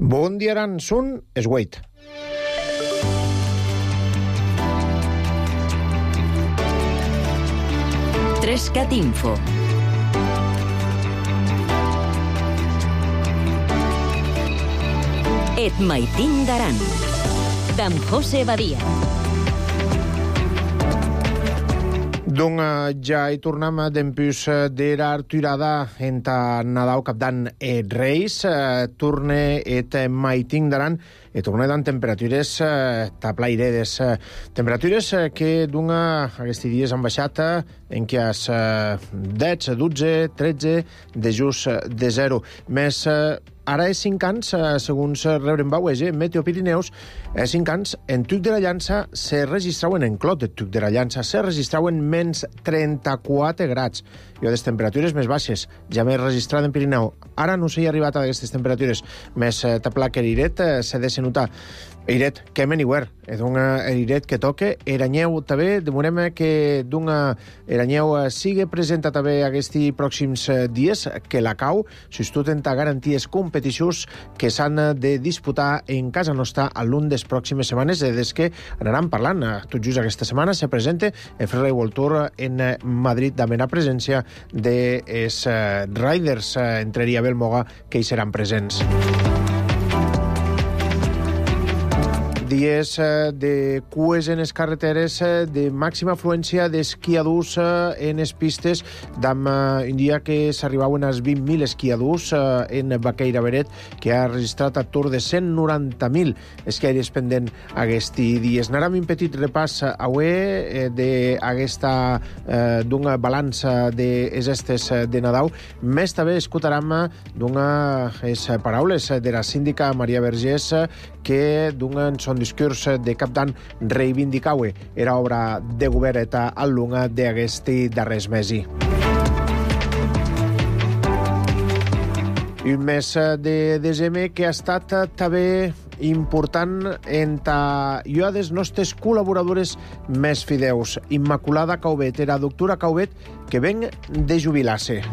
Bon dia, Aran, són es 8. Trescat Info. Et maitin d'Aran. D'en José Badia. Donc ja hi tornem dempús d'era arturada enta Nadal capdan et Reis. Torne et maitin d'Aran e torne dan temperatures taplairedes. Temperatures que d'una aquests dies han baixat en què és 10, 12, 13 de just de 0. Més ara és 5 anys, segons rebrem Bauege, Meteo Pirineus, 5 anys, en Tuc de la Llança se registraven, en Clot de Tuc de la Llança, se registraven menys 34 grads. I les temperatures més baixes, ja més registrat en Pirineu. Ara no s'hi ha arribat a aquestes temperatures, més tapla que Iret se ha de notar. Iret, que anywhere, és un Iret que toque, Eranyeu també, demorem que d'una Eranyeu sigui presenta també aquests pròxims dies, que la cau, sustuten garanties competicions que s'han de disputar en casa nostra a l'un de les pròximes setmanes, des que anaran parlant. Tot just aquesta setmana se presenta el Freeride World Tour en Madrid, amb la presència dels riders, entraria Belmoga, que hi seran presents. Dies de cues en les carreteres, de màxima afluència d'esquiadors en les pistes, d'am un dia que s'arribaven als 20.000 esquiadors en Baqueira Beret, que ha registrat a tour de 190.000 esquiaires pendent aquests dies. Anàrem un petit repàs avui d'aquesta d'una balança de estes de Nadal. Més també escoltarem d'unes paraules de la síndica Maria Vergés, que d'un son discurs de cap d'any reivindicaue era obra de govern eta al long d'aquesti darrers mesos. Un mes de desembre que ha estat també important entre jo dels nostres col·laboradores més fideus. Immaculada Caubet, era doctora Caubet, que ven de jubilar-se.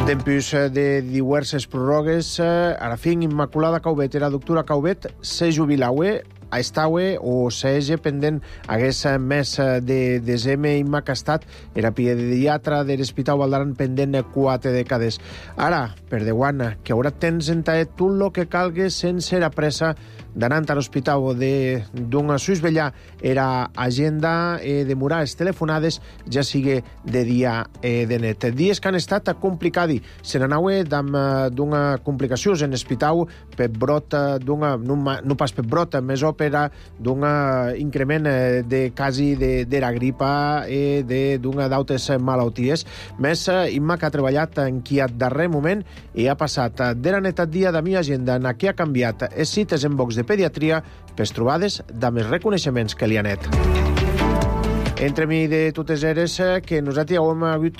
Dempús de diverses pròrrogues, ara fin, Immaculada Caubet, era doctora Caubet, se jubilaue, estaue o s'hagi pendent hagués mes de desembre Imma que ha estat, era pediatra de l'Hospital Valdaran pendent 4 dècades. Ara, per Déu, que haurà temps entaet tot el que calgui sense la pressa d'anar a l'hospital o d'un susvellar era agenda de murals telefonades, ja sigui de dia de net. Dies que han estat complicats. Se n'anaue d'una complicació en l'hospital per brot, no pas per brot, més òpera, d'un increment de quasi de la gripa i d'altres malalties. Més Imma que ha treballat en qui a darrer moment i ha passat de la neta dia de mi agenda en què ha canviat les cites en box de pediatria per trobades amb els reconeixements que li han net. Entre mi de totes eres que nosaltres hem hagut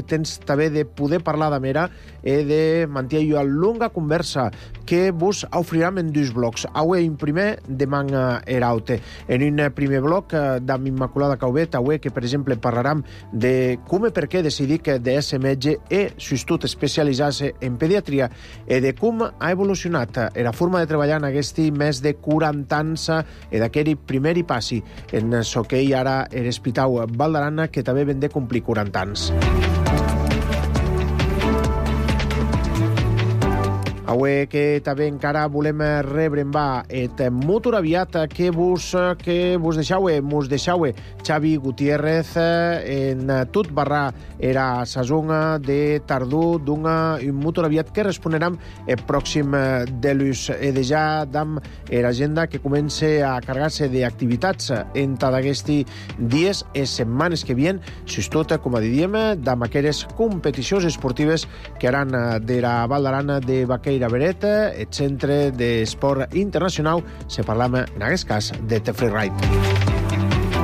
temps també de poder parlar de mera i de mantenir una longa conversa que vos oferirem en dos blocs. Avui un primer demà eraute. En un primer bloc d'amb Immaculada Caubet, avui que per exemple parlarem de com i per què decidir que de ser metge i sostut especialitzar-se en pediatria i de com ha evolucionat la forma de treballar en aquest més de 40 anys i d'aquell primer i passi en el que hi ara era l'Hospital Valdaran, que també ven de complir 40 anys. Avui que també encara volem rebre en va et motor aviat que vos deixau Xavi Gutiérrez en tot barra era sazonga de tardor un motor aviat que responeram el pròxim de l'ús i de ja dam l'agenda que comença a carregar-se d'activitats entre d'aquests dies i setmanes que vien, tot, com diríem, d'am aquelles competicions esportives que aran de la Valdaran de Baqueira Beret, el Centre d'Esport Internacional, se parlam en aquest cas de Freeride.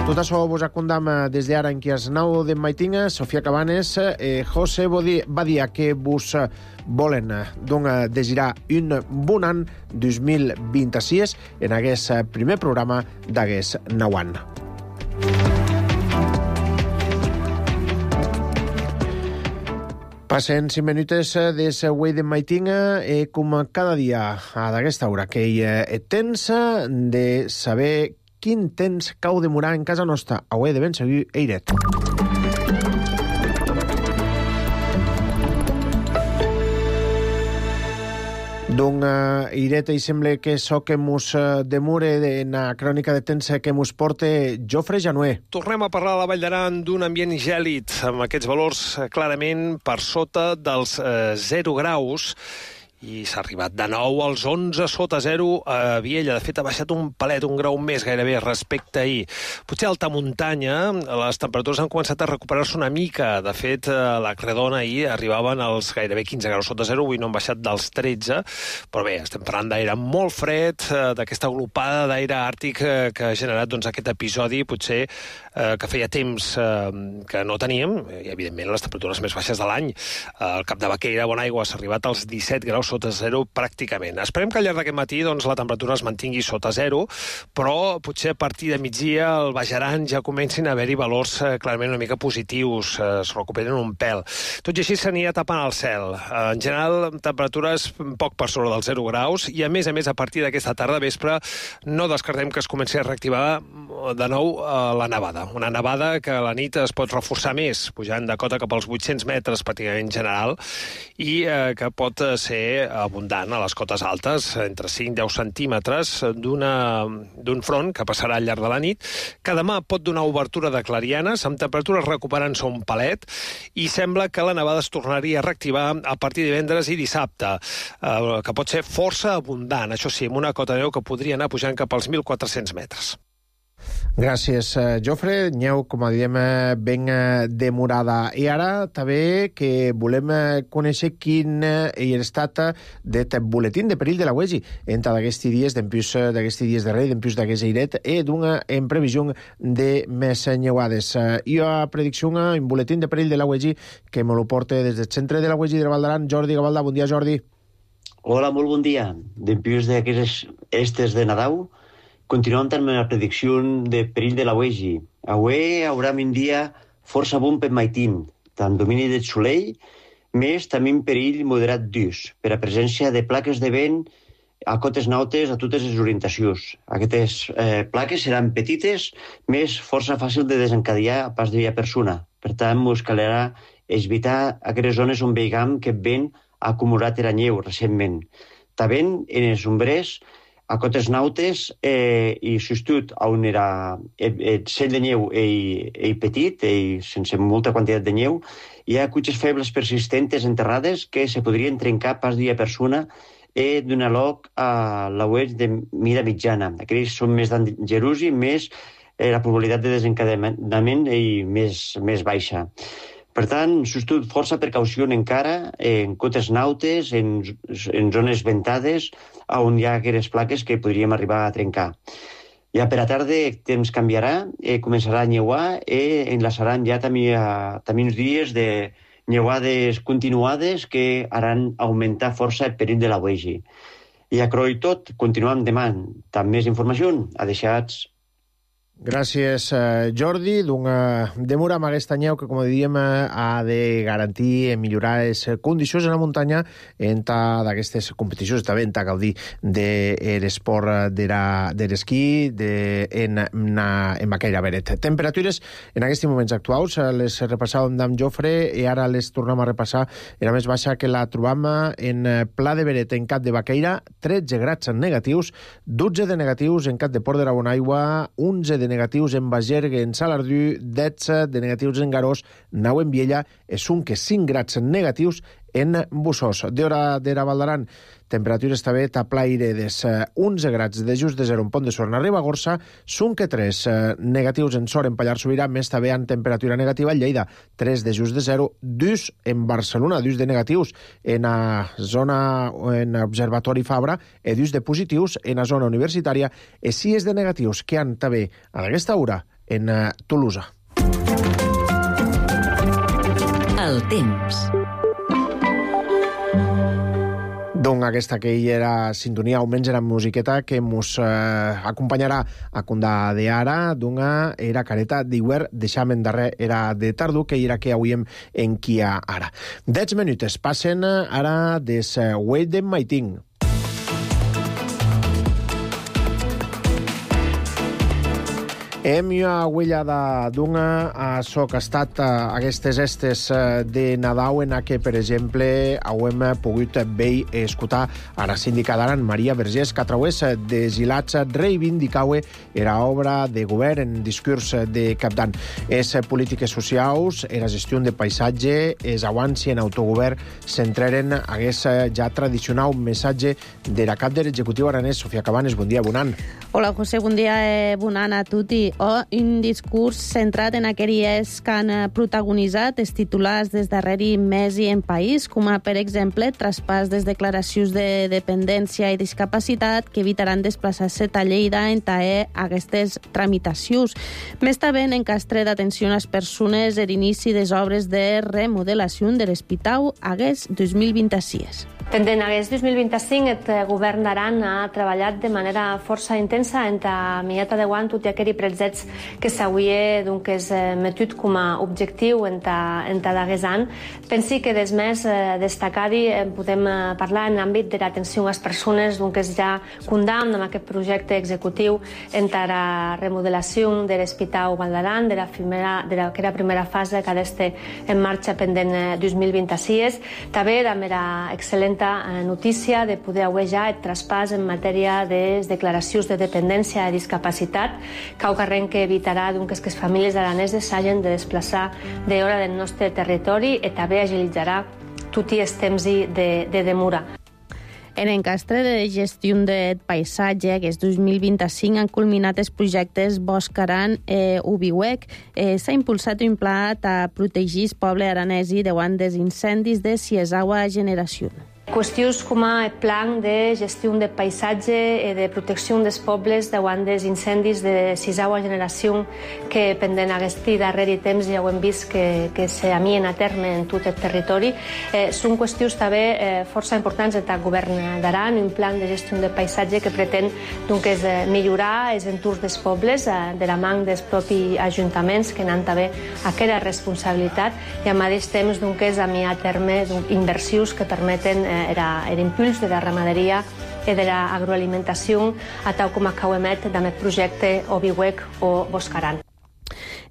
Tot això vos acondam des d'ara en qui es nau de Maitinga, Sofia Cabanes, José Badia, que vos volen desitjar un bon any 2026 en aquest primer programa d'aquest nou any. Passen 5 minuts de següent de maitinga com cada dia a d'aquesta hora que hi és temps de saber quin temps cau demorar en casa nostra. Avui de ben seguir eiret. D'un ireta i sembla que so que mos demore en la crònica de temps que mos porte Jofre Januer. Tornem a parlar a la Vall d'Aran d'un ambient gèlid, amb aquests valors clarament per sota dels 0 graus, i s'ha arribat de nou als 11 sota 0 a Viella. De fet, ha baixat un palet, un grau més gairebé respecte a ahir. Potser a alta muntanya les temperatures han començat a recuperar-se una mica. De fet, a la Credona ahir arribaven als gairebé 15 graus sota 0, avui no han baixat dels 13, però bé, estem parlant d'aire molt fred, d'aquesta aglopada d'aire àrtic que ha generat aquest episodi, potser que feia temps que no teníem, i evidentment les temperatures més baixes de l'any. Al Cap de Baqueira, Bonaigua, s'ha arribat als 17 graus sota 0 pràcticament. Esperem que al llarg d'aquest matí la temperatura es mantingui sota 0, però potser a partir de migdia al Baix Aran ja comencin a haver-hi valors clarament una mica positius, es recuperen un pèl. Tot i així s'anirà tapant el cel. En general, temperatures poc per sobre dels 0 graus, i a més, a partir d'aquesta tarda vespre no descartem que es comenci a reactivar de nou la nevada. Una nevada que a la nit es pot reforçar més, pujant de cota cap als 800 metres pràcticament en general, i que pot ser abundant a les cotes altes, entre 5 i 10 centímetres d'un front que passarà al llarg de la nit, que demà pot donar obertura de clarianes, amb temperatures recuperant-se un palet, i sembla que la nevada es tornaria a reactivar a partir de divendres i dissabte, que pot ser força abundant, això sí, amb una cota de neu que podria anar pujant cap als 1.400 metres. Gràcies, Jofre. Neu, com diem, ben demorada. I ara també que volem conèixer quin hi ha estat d'aquest boletín de perill de la UEGI entre d'aquests dies, d'empús d'aquests dies de rei, d'empús d'aquest airet, i d'una en previsió de més neuades. Hi ha predicció en boletín de perill de la UEGI que me lo porta des del centre de la UEGI de Vall d'Aran, Jordi Gavalda. Bon dia, Jordi. Hola, molt bon dia. D'empús d'aquestes estes de Nadal, continuem amb la predicció de perill de la UEGI. Avui haurà un dia força bon per maitín, tant domini del solell, més també un perill moderat d'ús, per a presència de plaques de vent a cotes nautes a totes les orientacions. Aquestes plaques seran petites, més força fàcil de desencadenar a pas de persona. Per tant, ens calerà evitar aquestes zones on veiem que vent ha acumulat la neu recentment. També en els ombrers, a cotes nautes i substitut on era el cel de neu i petit, i sense molta quantitat de neu, hi ha cutxes febles persistentes enterrades que se podrien trencar pas dia persona i donar lloc a l'auets de mida mitjana. Aquells són més dangerosos i més la probabilitat de desencadenament i més baixa. Per tant, substitut força precaució encara en cotes nautes, en zones ventades, on hi ha aquestes plaques que podríem arribar a trencar. Ja per a tarda el temps canviarà, començarà a neuar i enlaçaran ja també uns dies de neuades continuades que haran augmentar força el perill de la UEGI. I a croi tot, continuem demà. Amb més informació, adeixats. Gràcies, Jordi. D'una demora amb aquesta neu que, com dèiem, ha de garantir millorar les condicions en la muntanya entre d'aquestes competicions, també en gaudir de l'esport de l'esquí en Baqueira Beret. Temperatures en aquests moments actuals les repassàvem amb Jofre i ara les tornem a repassar. Era més baixa que la trobam en Pla de Beret, en Cap de Baqueira, 13 grads negatius, 12 de negatius en Cap de Port de la Bonaigua, 11 de negatius en Bagergue, en Salardú, 10 de negatius en Garós, 9 en Viella, és un que 5 grads negatius en Bussós. D'hora de la Vall d'Aran, temperatures també taplairedes, 11 grads de just de 0 en Pont de Suert, a Ribagorça, són que 3 negatius en Sort, en Pallars Sobirà, més també en temperatura negativa en Lleida, 3 de just de 0, 2 en Barcelona, 2 de negatius en la zona, en Observatori Fabra, i 2 de positius en la zona universitària, i 6 de negatius que han també a aquesta hora en Tolosa. El temps. Doncs aquesta que hi era sintonia, almenys era musiqueta que ens acompanyarà a condà d'ara, d'una era careta d'iguer, deixamen darrer era de tardu, que era que avui en qui ara. 10 minutes passen ara des Wait de Maiting. Hem huella d'una a so que ha estat aquestes estes de Nadal en què, per exemple, hem pogut veure i escoltar a la síndica d'Aran, Maria Vergés, que a través de Gilats reivindicaue era obra de govern en discurs de capdan. És polítiques socials, era gestió de paisatge, és abans i en autogovern centraren hagués ja tradicional missatge de la cap de l'executiu aranès, Sofia Cabanes. Bon dia, bon any. Hola, José, bon dia, bon any a tutti. Un discurs centrat en aquelles que han protagonitzat els titulars des darrere mes i en país, com a, per exemple, traspàs des declaracions de dependència i discapacitat que evitaran desplaçar-se a Lleida en taer aquestes tramitacions. Més també en encastre d'atenció a les persones a l'inici de les obres de remodelació de l'Hospital Agués 2026. Pendent aquest 2025, el govern d'Aran ha treballat de manera força intensa en la mieta de guant tot i aquells pretzets que s'hauria metut com a objectiu en ta d'aquest any. Pensi que des més destacar-hi podem parlar en l'àmbit de l'atenció a les persones que ja condamnen amb aquest projecte executiu en la remodelació de l'Hospital Vall d'Aran, que era la primera fase que ha d'estar en marxa pendent 2026. També amb la excel·lent notícia de poder haver ja el traspàs en matèria de declaracions de dependència i discapacitat, caucarren que evitarà que les famílies araneses s'hagin de desplaçar d'hora del nostre territori i també agilitzarà tots els temps de demora. En encastre de gestió de paisatge, que és 2025, han culminat els projectes Bosc Aran Ubiwec. S'ha impulsat un pla a protegir el poble aranesi davant dels incendis de Siesaua generació. Qüestions com el plan de gestió de paisatge i de protecció dels pobles davant dels incendis de Siesaua generació que pendent aquest darrer temps ja ho hem vist que s'amien a terme en tot el territori. Són qüestions també força importants del govern d'Aran, un plan de gestió de paisatge que pretén millorar els entorns dels pobles de la mà dels propis ajuntaments que n'han també aquella responsabilitat i al mateix temps amiar a terme inversions que permeten l'impuls de la ramaderia i de l'agroalimentació, a tal com acabem amb el projecte Obiwec o Bosc Aran.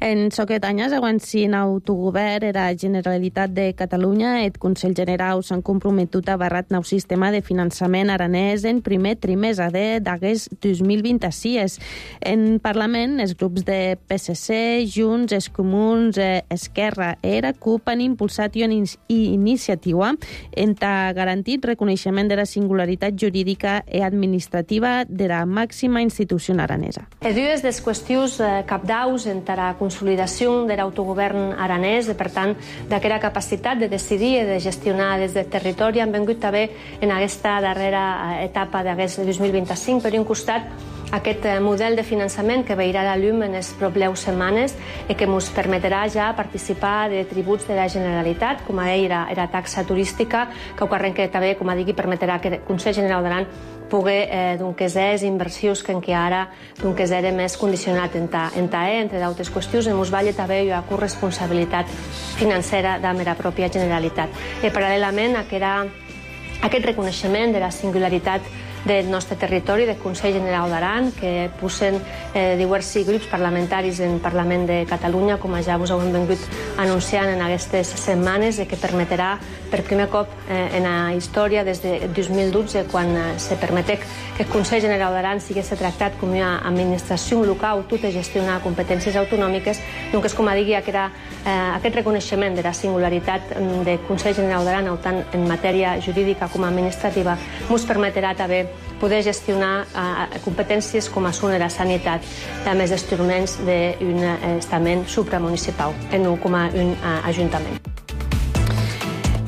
En soquet anys, aguantint autogovern era la Generalitat de Catalunya, el Consell General s'han comprometut a barrat nou sistema de finançament aranès en primer trimestre d'aquest 2026. En Parlament, els grups de PSC, Junts, els Comuns, Esquerra i la CUP han impulsat una iniciativa en garantir el reconeixement de la singularitat jurídica i administrativa de la màxima institució aranesa. Dues de les qüestions cabdaus en la consolidació de l'autogovern aranès i, per tant, d'aquella capacitat de decidir i de gestionar des del territori han vengut també en aquesta darrera etapa d'aquest 2025. Per un costat, aquest model de finançament que veurà la llum en les properes setmanes i que ens permetrà ja participar de tributs de la Generalitat, com era la taxa turística, que també, com digui, permetrà que el Consell General d'Aran pugui les inversions que ara era més condicionat en TAE, entre d'altres qüestions, ens va també una corresponsabilitat financera de la pròpia Generalitat. I paral·lelament a aquest reconeixement de la singularitat del nostre territori, del Consell General d'Aran, que posen diversos grups parlamentaris en el Parlament de Catalunya, com ja us hem vingut anunciant en aquestes setmanes, que permetrà per primer cop en la història des de 2012, quan se permeté que el Consell General d'Aran sigués tractat com una administració local tota gestionar competències autonòmiques, doncs com digui, aquest reconeixement de la singularitat del Consell General d'Aran, tant en matèria jurídica com administrativa, ens permetrà també poder gestionar competències com són la sanitat i més instruments d'un estament supramunicipal, no com un ajuntament.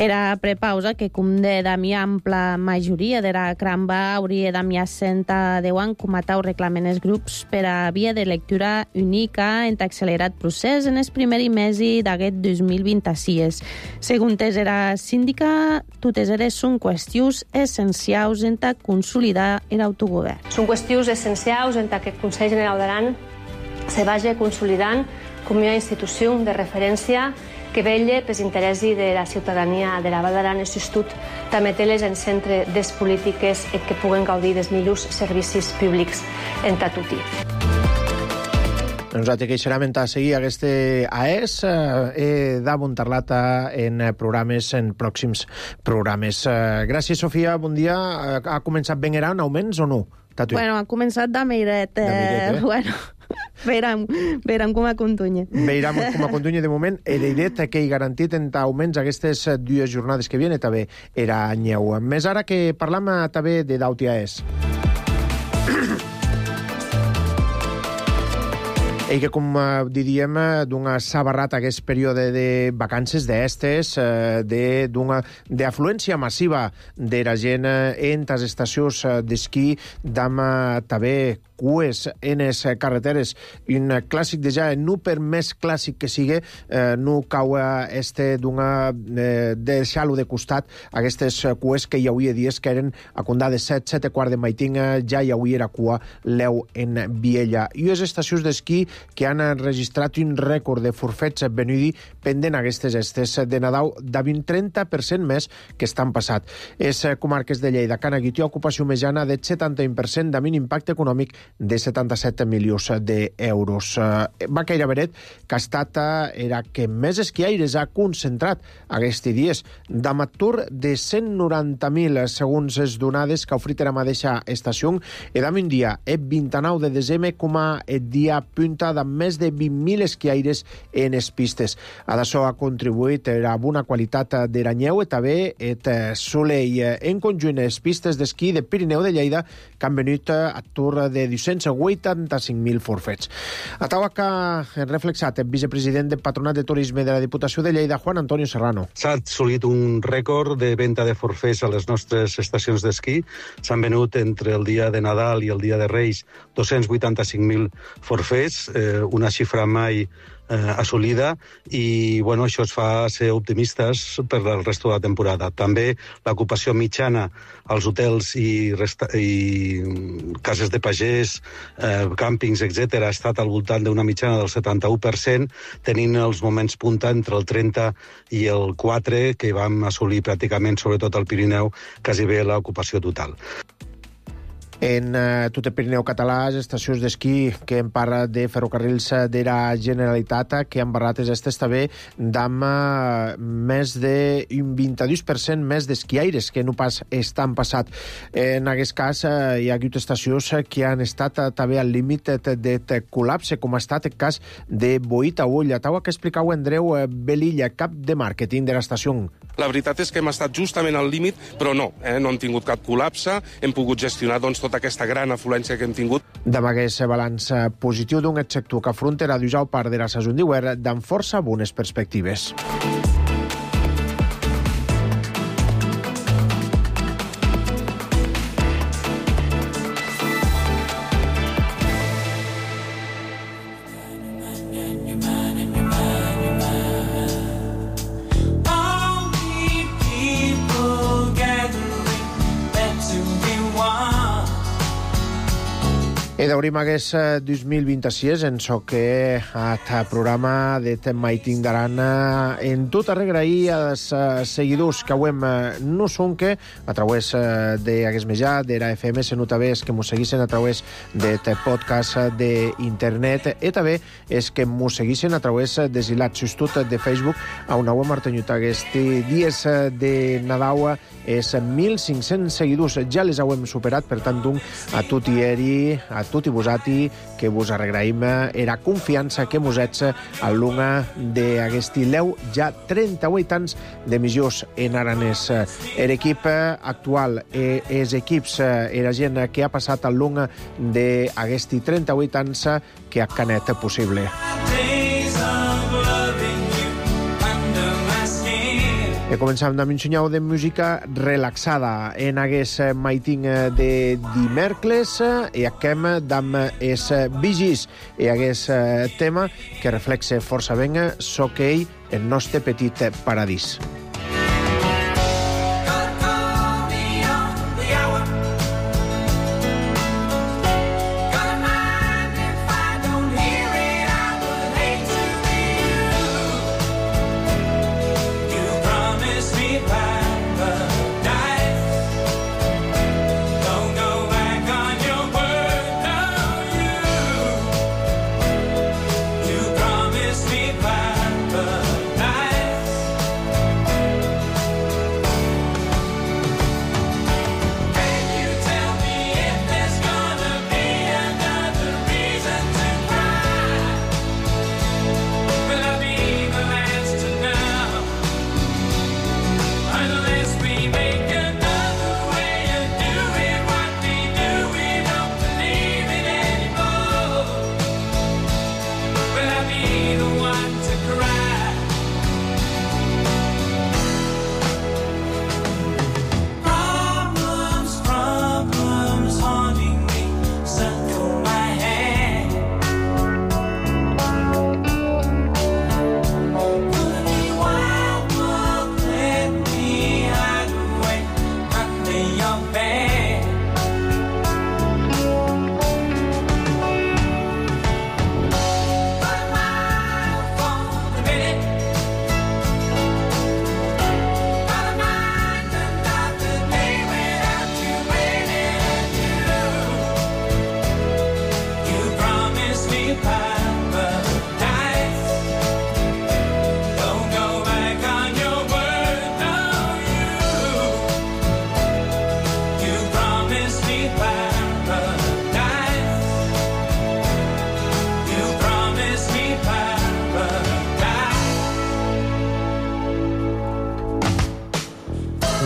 Era prepausa que, com de damia ampla majoria de la cramba, hauria damia senta deuan com atau reclamen els grups per a via de lectura única en accelerat procés en el primer mesi d'aquest 2026. Segons era síndica, totes eres són qüestions essencials en ta consolidar l'autogovern. Són qüestions essencials en què el Consell General d'Aran se vagi consolidant com una institució de referència que vetlla pels interessos de la ciutadania de la Val d'Aran i Sustut, també té-les en centre des polítiques i que puguen gaudir dels millors servicis públics en tatuti. Nosaltres queixarem a seguir aquesta AES d'amuntar-la en pròxims programes. Gràcies, Sofia, bon dia. Ha començat ben gran augments o no? Bueno, ha començat de miret. Bueno, veurem com a contunya. Veurem com a contunya de moment. Era idea que hi garantit en augments aquestes dues jornades que vienen també era anyeu. Més ara que parlam també de d'AES. I que, com diríem, d'una sabarrata aquest període de vacances d'estes, d'afluència massiva de la gent en les estacions d'esquí, d'ama també cues en les carreteres. Un clàssic de ja, no per més clàssic que sigui, no cau deixar-lo de costat aquestes cues que hi havia dies que eren a condar de 7 quarts de maitin, ja hi havia cua l'eu en Viella. I les estacions d'esquí que han registrat un rècord de forfets venudi pendent aquestes estes de Nadal de 20-30% més que estan passat. És comarques de Lleida, Cana Guitió, ocupació mitjana de 71% de mínim impacte econòmic de 77 milions d'euros. Va caire veret que ha estat era que més esquiaires ha concentrat aquests dies d'amatur de 190.000 segons les donades que ha ofrit la mateixa estació i d'un dia, el 29 de desembre, com a dia punta de més de 20.000 esquiaires en les pistes. A d'això ha contribuït a una qualitat de l'anyeu i també el soleil en conjunt les pistes d'esquí de Pirineu de Lleida que han venut a tour de 285.000 forfets. A taula que ha reflexat el vicepresident del Patronat de Turisme de la Diputació de Lleida, Juan Antonio Serrano. S'ha assolit un rècord de venda de forfets a les nostres estacions d'esquí. S'han venut entre el dia de Nadal i el dia de Reis 285.000 forfets, una xifra mai assolida i bueno, això es fa ser optimistes per el resto de la temporada. També l'ocupació mitjana als hotels i cases de pagès, càmpings, etc., ha estat al voltant d'una mitjana del 71%, tenint els moments punta entre el 30 i el 4, que vam assolir pràcticament, sobretot al Pirineu, quasi bé l'ocupació total. En tot el Pirineu català, les estacions d'esquí que en parla de ferrocarrils de la Generalitat, que han barrat estes també d'amb més d'un 22% més d'esquiaires que no pas estan passat. En aquest cas, hi ha hagut estacions que han estat també al límit de col·lapse, com ha estat el cas de Boita Ull. Taua que explicau Andreu Belilla, cap de màrqueting de l'estació. La veritat és que hem estat justament al límit, però no hem tingut cap col·lapse, hem pogut gestionar tota aquesta gran afluència que hem tingut. Demà aquest balanç positiu d'un sector que afronta la dujau part de la saison d'hivern amb força bones perspectives. I d'obrim aquest 2026 en so que el programa de Maiting d'Aran en tot arregrair als seguidors que avui no són que a través d'aquest mitjà, de la FM, sinó també és que mos seguissin a través de podcast d'internet i també és que mos seguissin a través de Zilat Sustut de Facebook a una web martenyut aquests dies de Nadal és 1.500 seguidors, ja les hem superat, per tant, a tutti eri, a tutti vosati, que vos arregraïm era confiança que mos ets a l'una d'aquest leu ja 38 anys d'emissions en aranès. L'equip actual, els equips, la gent que ha passat a l'una d'aquest 38 anys que ha canet possible. E començam amb un senyal de música relaxada en aquest maiting de dimèrcles i acabem amb els Bee Gees i aquest tema que reflexa força ben Soc ell, el nostre petit paradís.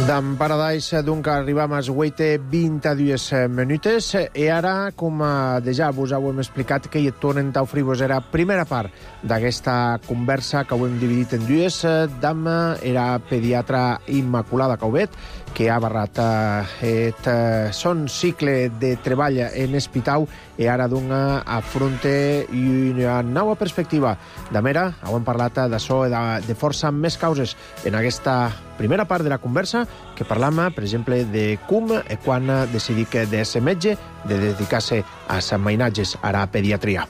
D'en Paradise, donc, arribam als 8:22 minutes i ara, com ja vos ho hem explicat, que hi tornen a oferir-vos era primera part d'aquesta conversa que ho hem dividit en dues. Dama era pediatra Immaculada Caubet, que ha barrat son cicle de treball en Espitau i ara dona afronte una nova perspectiva. Damera, hem parlat d'això de força més causes en aquesta primera part de la conversa, que parlam, per exemple, de com i quan decidir de ser metge, de dedicar-se a els mainatges a la pediatria.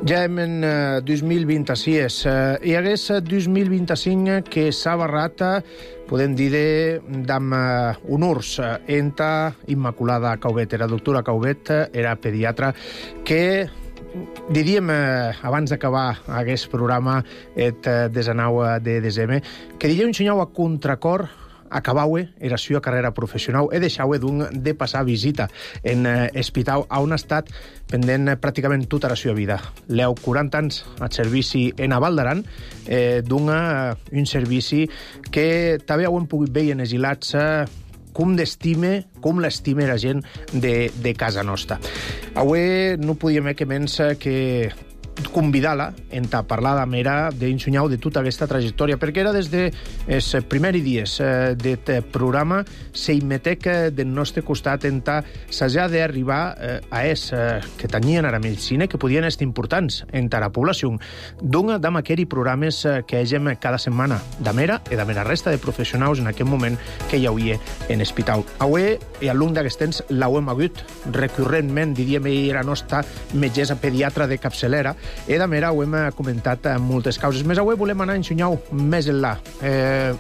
Ja en 2026 i hagués 2025 que s'ha barrat, podem dir, d'amb honors enta Immaculada Caubet. Era doctora Caubet, era pediatra, que diríem, abans d'acabar aquest programa, el 19 de desembre, que diria un senyal a contracor acabaue era seva carrera professional e deixaue de passar visita en Espitau, on ha estat pendent pràcticament tota la seva vida. Leu 40 anys al servici en Val d'Aran, un servici que també ho hem pogut veure en exilats com l'estima la gent de casa nostra. Avui no podíem que menys que convidar-la a parlar d'Amera, d'ensenyar de tota aquesta trajectòria, perquè era des dels primers dies del programa s'immetec del nostre costat s'ha d'arribar a que tenien a la medicina que podien estar importants entre la població. Dona d'am aquells programes que hegem cada setmana d'Amera i d'Amera resta de professionals en aquest moment que hi hauria en Espitau. Avui, i al llarg d'aquest temps, l'hem hagut recurrentment, diríem, era nostra metgessa pediatra de capçalera, i d'Amera ho hem comentat moltes causes. Més avui volem anar a ensenyar més enllà.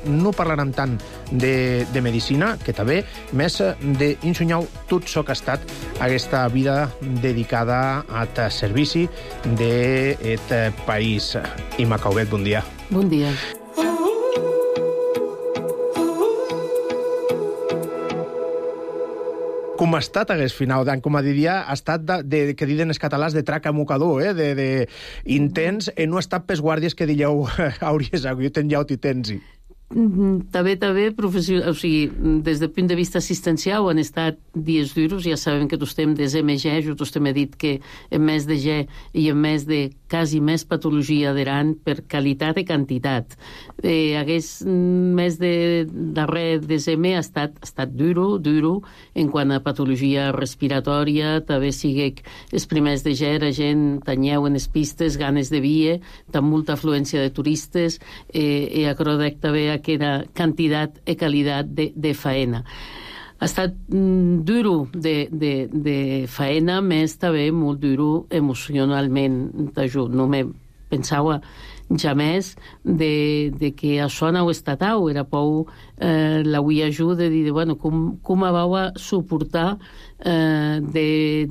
No parlarem tant de medicina, que també, més d'ensenyar tot això que ha estat aquesta vida dedicada al servici d'aquest país. Imma Caubet, bon dia. Bon dia. Com ha estat aquest final d'any? Com a diria, ha estat, que diuen els catalans, de traca mocador, intens, e no ha estat pels guàrdies que dieu hauries hagut en llaut i tensi. També, o sigui, des del punt de vista assistencial han estat dies duros, ja sabem que estem des MG, jo he dit que en més de G i en més de quasi més patologia d'Aran per qualitat i quantitat. Aquest mes de darrer DSM ha estat duro en quant a patologia respiratòria, també sigui els primers de G, la gent tanyeu en les pistes, ganes de vie, amb molta afluència de turistes, i acrodec també aquesta quantitat i qualitat de faena. Ha estat duro de faena, més també molt duro emocionalment. No me pensava jamés de que això no ho estatau. Era pou l'avui ajuda de dir, bueno, com vau a suportar de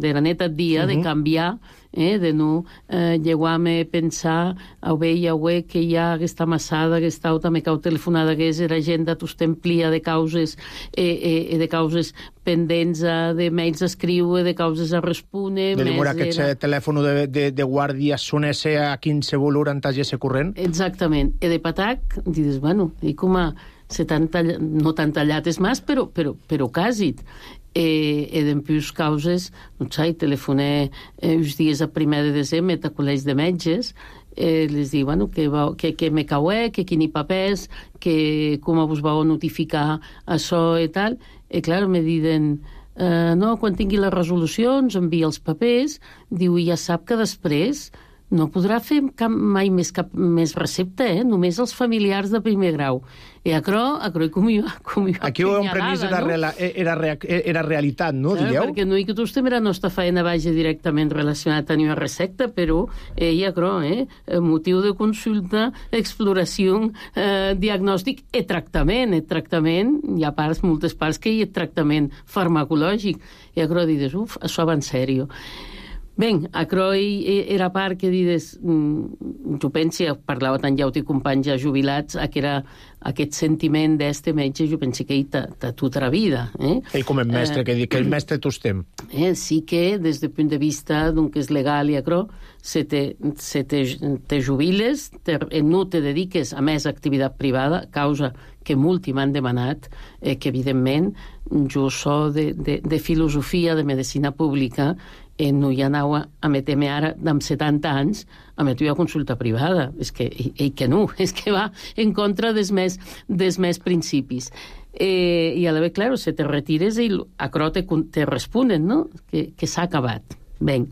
la neta dia, de canviar, de no llegar-me a pensar que hi ha aquesta massada, aquesta auta me cau telefonada, que és l'agenda t'ustemplia de causes de causes pendents, de mails a escriure, de causes a respondre. De demora que el telèfon de guàrdia sonesse a 15 volur antagesse corrent? Exactament. E de patac, dius, bueno, i com a no tan tallat és més, però quasi. E d'empius causes, no sé, telefoné uns dies a 1 de desembre a col·legis de metges, les dic, bueno, que me caué, que quini papers, que com vos vau notificar això i tal. I clar, me diuen, no, quan tingui les resolucions, envia els papers, diu, i ja sap que després no podrà fer mai cap més recepta, només els familiars de primer grau. I acro com jo aquí un previst era realitat, no, dieu? Perquè no hi que tu estem la nostra feina vagi directament relacionat a una recepta, però motiu de consulta, exploració, diagnòstic i tractament. Hi ha moltes parts que hi ha tractament farmacològic. I acro dius, això va en sèrio. Ben, acro era part que dides, jo penso, parlava tant llaut i companys ja jubilats, que era aquest sentiment d'este metge, jo penso que tota la vida. Ell com el mestre, que el mestre tu estem. Sí que, des del punt de vista d'un que és legal i acro, se te jubiles, no te dediques a més activitat privada, causa que molti m'han demanat, que evidentment jo soc de filosofia de medicina pública, no hi anava a meter-me ara amb 70 anys a meter a consulta privada. És que va en contra dels més principis. I a la vegada, clar, se te retires i acro te responen, no? Que s'ha acabat. Ben,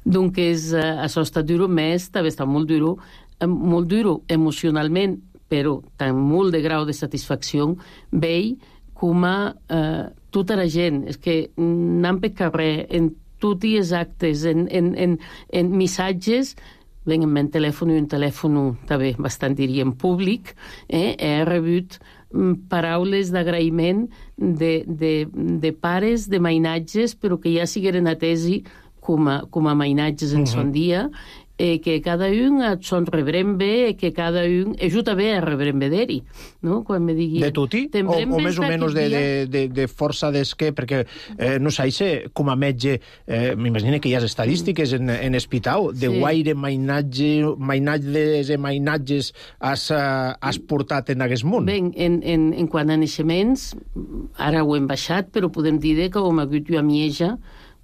doncs això ha estat duro, més també està molt duro emocionalment, però amb molt de grau de satisfacció, veig com tota la gent, és que anant per carrer, en tots els actes, en missatges, ben, en meu telèfon, un telèfon també bastant, diríem, públic, he rebut paraules d'agraïment de pares, de mainatges, però que ja sigueren atesi com a mainatges en son dia, que cada un et son rebrem bé, que cada un ajuda bé a rebrem bé d'eri, no? Quan me digui... De tuti? O més o menys de força d'esquer? Perquè, no sé, com a metge, m'imagino que hi ha estadístiques en hospital, de guaire mainatges i mainatges has portat en aquest món? Ben, en quant a naixements, ara ho hem baixat, però podem dir que com a hagut jo a Mieja,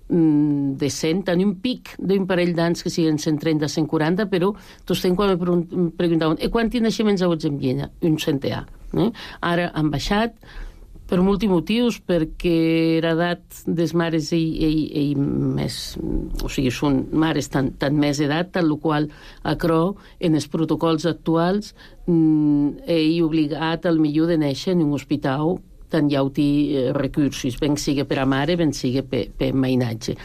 de 100, tenir un pic d'un parell d'anys que siguin 130, 140, però tots quan me preguntaven quants naixements haguts en Viena? Un centenar. Ara han baixat per molts motius, perquè l'edat dels mares i més, o sigui, són mares tant més edat, tant el qual acro en els protocols actuals he obligat al millor de néixer en un hospital tant hi ha recursos, ben sigui per a mare, ben sigui per mainatge.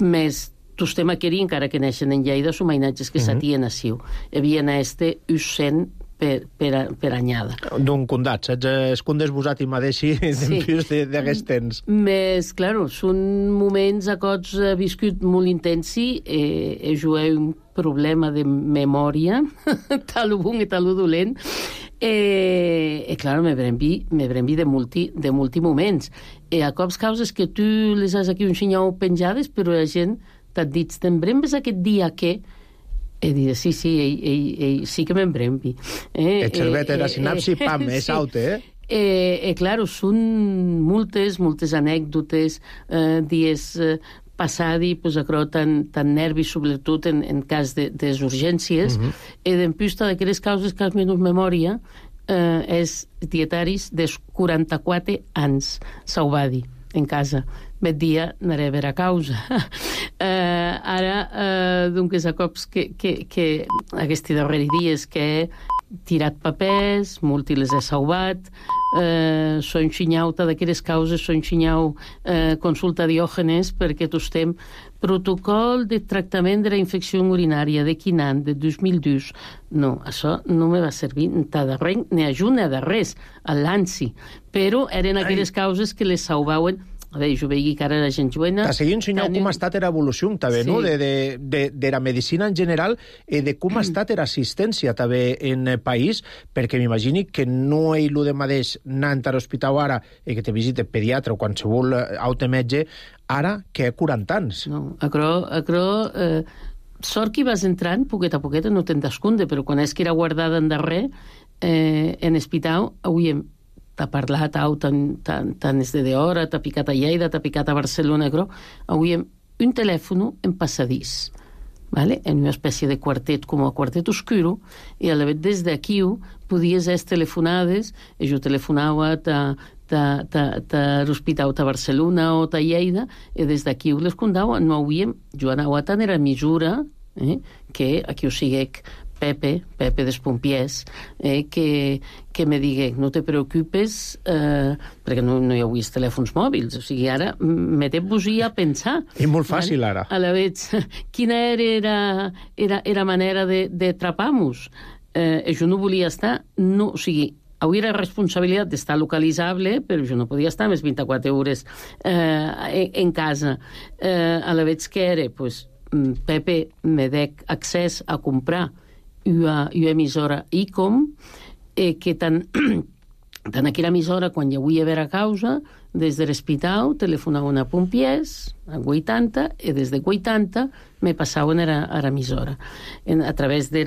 Més, tostem aquí, encara que neixen en Lleida, són mainatges que s'atien a Siu. Havia este us 100 per anyada. D'un condat, es condes vosat i madeixi d'empius d'aquests temps. Més, clar, són moments a cots viscut molt intensi, jo he un problema de memòria, tal bon i tal dolent, Claro, me brembi de multi moments. A cops causes que tu les has aquí un xinyau penjades, però la gent t'ha dit, te'n brembes aquest dia que... He dit, sí, ell sí que me'n brembi. Et servet era sinapsi, pam, és out, Claro, són moltes anècdotes, dies passadi, pues, acro tan nervis, sobretot en cas de urgències, i d'empús d'aquelles causes que has menys memòria és dietaris des 44 anys, s'ho va dir, en casa. Met dia anaré a veure a causa. Ara, doncs, a cops que aquests darrers dies que he tirat papers, molti les he salvat, són xinyauta d'aquelles causes, són xinyau consulta diògenes, perquè tu estem protocol de tractament de la infecció urinària de quin any, de 2002. No, això no me va servir de res, ni ajuda de res, a l'ANSI. Però eren aquelles causes que les salvaven. A veure, jo veig que ara la gent joena... Ta seguint, senyor, com ha estat era evolució, també, no? De la medicina en general i de com ha estat era assistència, també, en el país, perquè m'imagini que no hi lo de mateix anant a l'hospital ara i que te visite pediatre o qualsevol altre metge, ara que 40 anys. No, sort que vas entrant, poquet a poquet, no te'n descunde, però quan és que era guardada en darrer, en hospital, avui t'ha parlat tant és de hora, t'ha picat a Lleida, t'ha picat a Barcelona, però avui un telèfon en passadís, ¿vale? En una espècie de quartet, com a quartet oscuro, i a la vegada des d'aquí podies ser telefonades, i jo telefonava a l'hospital de Barcelona o a Lleida, i des d'aquí les contava, no havíem, jo anava tant era mesura, que aquí ho siguec Pepe dels Pompiers, que me digué, no te preocupes, perquè no hi havia telèfons mòbils, o sigui, ara me té a pensar. És molt fàcil, ara. A la vegada, quina era manera de trapar-nos? Jo no volia estar, o sigui, havia la responsabilitat d'estar localitzable, però jo no podia estar més 24 hores en casa. A la vegada que era, pues, Pepe me dec accés a comprar una emissora ICOM, que tant aquella emissora, quan hi havia haver a causa, des de l'hospital telefonaven a Pompiers, a 80, i des de 80 me passaven a l'emissora. A través de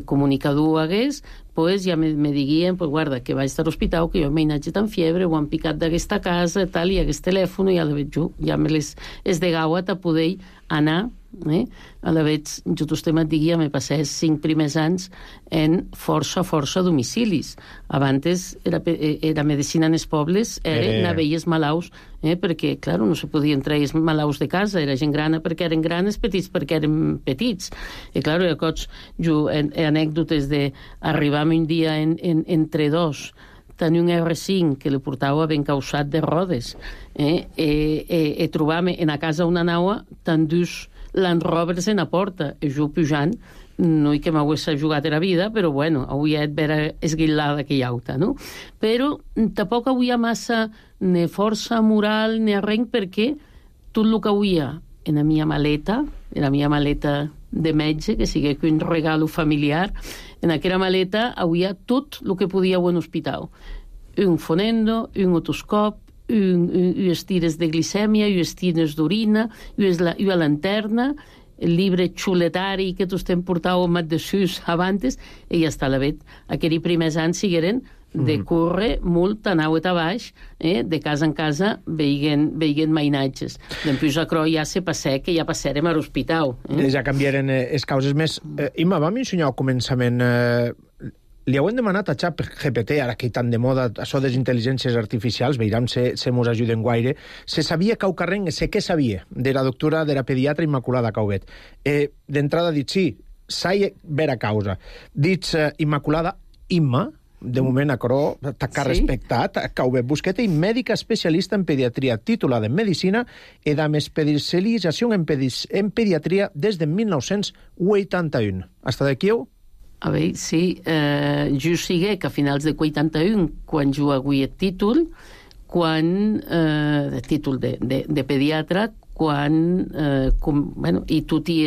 comunicador hagués, pues, ja me diguien, pues, guarda, que vaig a l'hospital, que jo m'he anat tan fiebre, ho han picat d'aquesta casa, tal, i aquest telèfon, i a la vegada jo ja me les esdegava a poder anar. A la vegada, jo t'estem et diguia, me passé 5 primers anys en força domicilis. Abans era medicina en els pobles, era veies malauts, perquè, clar, no se podien treure els malauts de casa, era gent grana perquè eren granes, petits perquè eren petits. I, clar, jo anècdotes d'arribar un dia entre dos, tenir un R5 que li portava ben causat de rodes, i trobar-me en a casa una naua tan dus Land Rovers en la porta, i jo pujant, no hi que m'hagués jugat a la vida, però bueno, avui he vera esguillada que hi auta, no? Però tampoc avui hi ha massa ni força moral ni res, perquè tot el que avui hi ha en la meva maleta de metge, que sigui un regalo familiar, en aquella maleta avui hi ha tot el que podia en hospital. Un fonendo, un otoscop, unes tires de glicèmia, unes tires d'orina, una lanterna, el llibre xuletari que tots estem portant mat de sus abans, i ja està la vet. Aquells primers anys sigueren de córrer molt a nau a baix, de casa en casa, veient mainatges. Després ja se passé, que ja passarem a l'hospital. Ja canviaren les causes més. Imma, vam ensenyar al començament... Li heu demanat a ChatGPT, ara que hi tan de moda, això de les intel·ligències artificials, veurem si mos ajuden guaire, se sabia que au carrer, sé què sabia, de la doctora, de la pediatra Immaculada Caubet. D'entrada dit sí, s'ha ver a causa. Dits Immaculada, Imma, de moment a Coró, t'ha respectat, Caubet Busqueta, i mèdica especialista en pediatria, titulada en medicina i amb especialització en pediatria des de 1981. Hasta d'aquí heu? A veure, sí, jo sigué que a finals de 81, quan jo avui el títol de pediatra, i tot i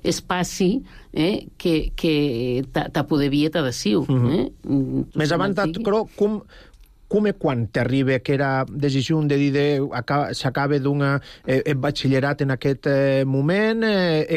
espaci que ta podevia ta deciu. Més avant, com e quan t'arriba aquera decisió de dir s'acaba d'un batxillerat en aquest moment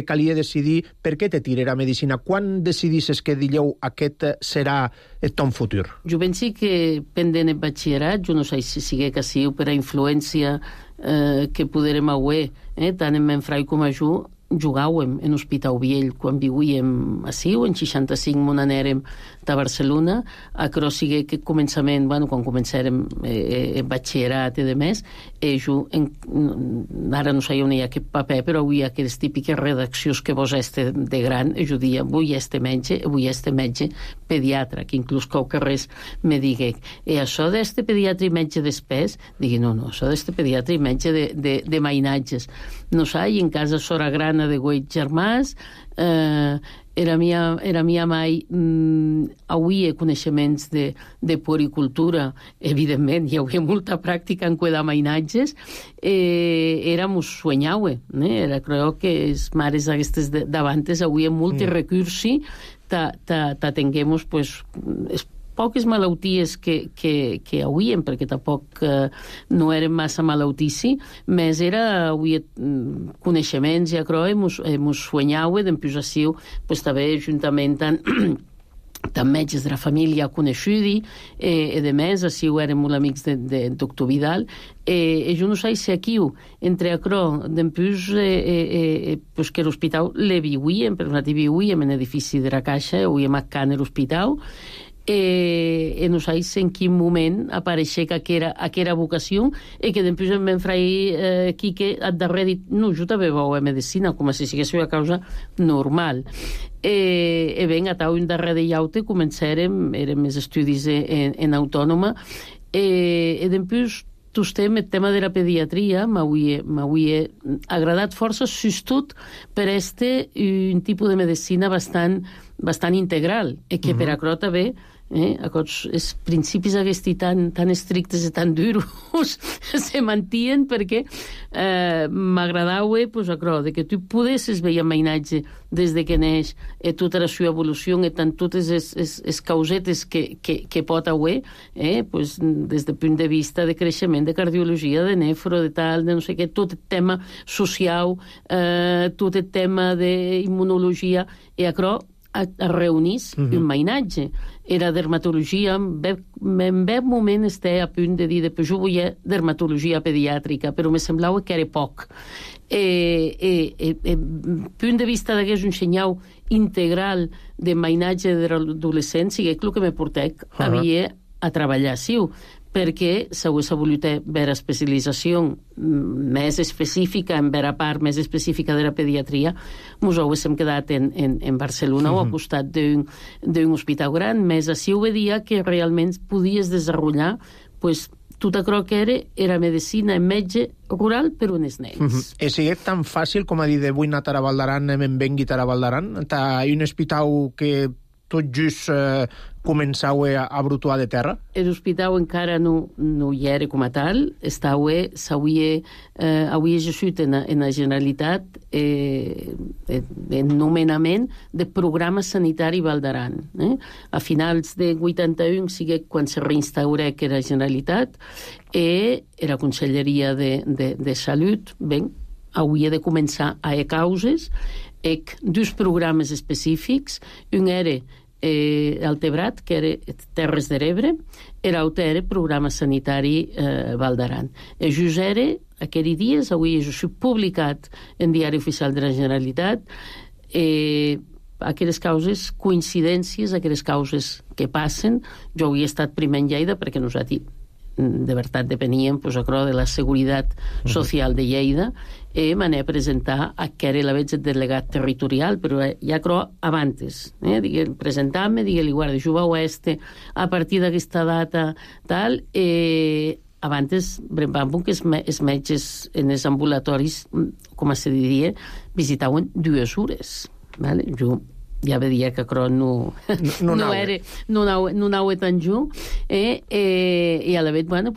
calia decidir per què te tirarà a medicina? Quan decidisses que dilleu aquest serà el ton futur? Jo penso que pendent el batxillerat, jo no sé si sigui que siu per a influència que poderem auer, tant en Menfrai com a jo, jugàvem en Hospital Viell quan vivíem ací, en 65 on anèrem a Barcelona, però sigui que començament, quan començàrem batxillerat i de més, ara no sé on hi ha aquest paper, però avui hi ha aquelles típiques redaccions que vos este de gran, jo dia, avui este metge pediatre, que inclús qualque res me digui, això d'este pediatre i metge després, digui, no, això d'este pediatre i metge de mainatges. No sé, i en casa Sora Grana de Güell Germàs, era mia mai avui coneixements de puericultura, evidentment, hi havia molta pràctica en cuidar mainatges, mos soñaue, era, creo que les mares aquestes davantes avui molt recursi tinguem pues poques malalties que hauríem, perquè tampoc no eren massa malaltissi, més era avui coneixements i acro mos soñaue d'empusació, pues també juntament tant metges de la família coneguda, i de més, així érem molt amics de doctor Vidal, jo no sé si aquí, entre acro, d'empús, que l'hospital le vivíem, perquè nosaltres vivíem en l'edifici de la Caixa, vivíem a Can l'hospital, no sé en quin moment apareixer que era vocació i que després em vam fer Quique al darrer dit, no, jo també vau a medicina, com si sigués una causa normal. Ben, a tau un darrer de llaute començarem, érem els estudis en autònoma, i després el tema de la pediatria m'havia agradat força, sobretot per un tipus de medicina bastant integral, i que per acrò també els principis aquests tan estrictes i tan duros se mantien perquè m'agradava de que tu podessis veure mainatge des que neix tota la seva evolució i tant totes les causetes que pot haver des del punt de vista de creixement, de cardiologia, de nefro, de tal, de no sé què, tot el tema social, tot el tema d'immunologia, i acrò es reunís un mainatge. Era dermatologia, en veu moment estava a punt de dir que jo volia dermatologia pediàtrica, però me semblava que era poc. Punt de vista d'hagués un senyal integral de mainatge de l'adolescent, sigui el que me portec havia a treballar siu, perquè s'hagués volut veure especialització més específica, en veure part més específica de la pediatria, ens haguéssim quedat en Barcelona o al costat d'un hospital gran, més així ho veia que realment podies desenvolupar tot allò que era medicina en metge rural per uns nens. I sigui tan fàcil com a dir d'avui anar a Valdaran, em vengui a Valdaran? Hi ha un hospital que tot just començau a brutuar de terra? L'hospital encara no hi era com a tal, s'havia gesut en la Generalitat en nomenament de programa sanitari Valdaran. A finals de 81, sigui quan se reinstaurà que era Generalitat, era Conselleria de Salut, hauria de començar a causes, dos programes específics, un era Altebrat, que era Terres de l'Ebre, i l'altre era Programa Sanitari Valdaran. Just era, aquells dies, avui és publicat en Diari Oficial de la Generalitat, aquelles causes, coincidències, aquelles causes que passen. Jo havia estat primer en Lleida, perquè nosaltres de veritat depeníem de la Seguretat Social de Lleida, i m'anava a presentar que era la veig el delegat territorial, però ja crec abans, presentar-me, dir-li, guarda, jo vau a partir d'aquesta data, tal, abans, vam que els metges en els ambulatoris, com se diria, visitaven 2 hores. Jo ja veia que no anava tan junt, i a la vegada,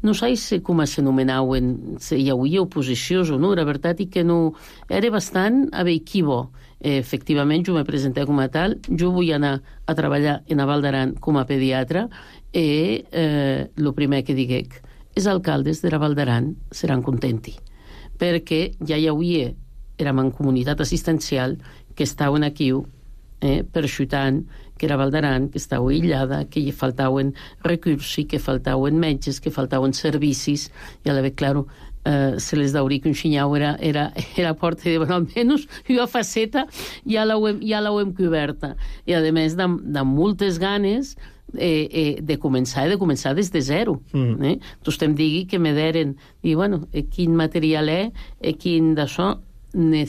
no sé com s'anomenaven, hi havia oposicions o no, la veritat és que no, era bastant equivo. Efectivament, jo me presenté com a tal, jo vull anar a treballar en Val d'Aran com a pediatra i el primer que diguec, els alcaldes de la Val d'Aran seran contenti, perquè ja hi havia, érem en comunitat assistencial, que estaven aquí perxutant, que era Val d'Aran, que estava aïllada, que hi faltaven recursos, que faltaven metges, que faltaven servicis, i a la vegada, claro, se les dauria que un xinyau era porta de, bueno, almenys una faceta ja l'hem coberta. I a més de moltes ganes de començar des de zero. Tu em digui que me deren, i bueno, quin material quin d'això, ne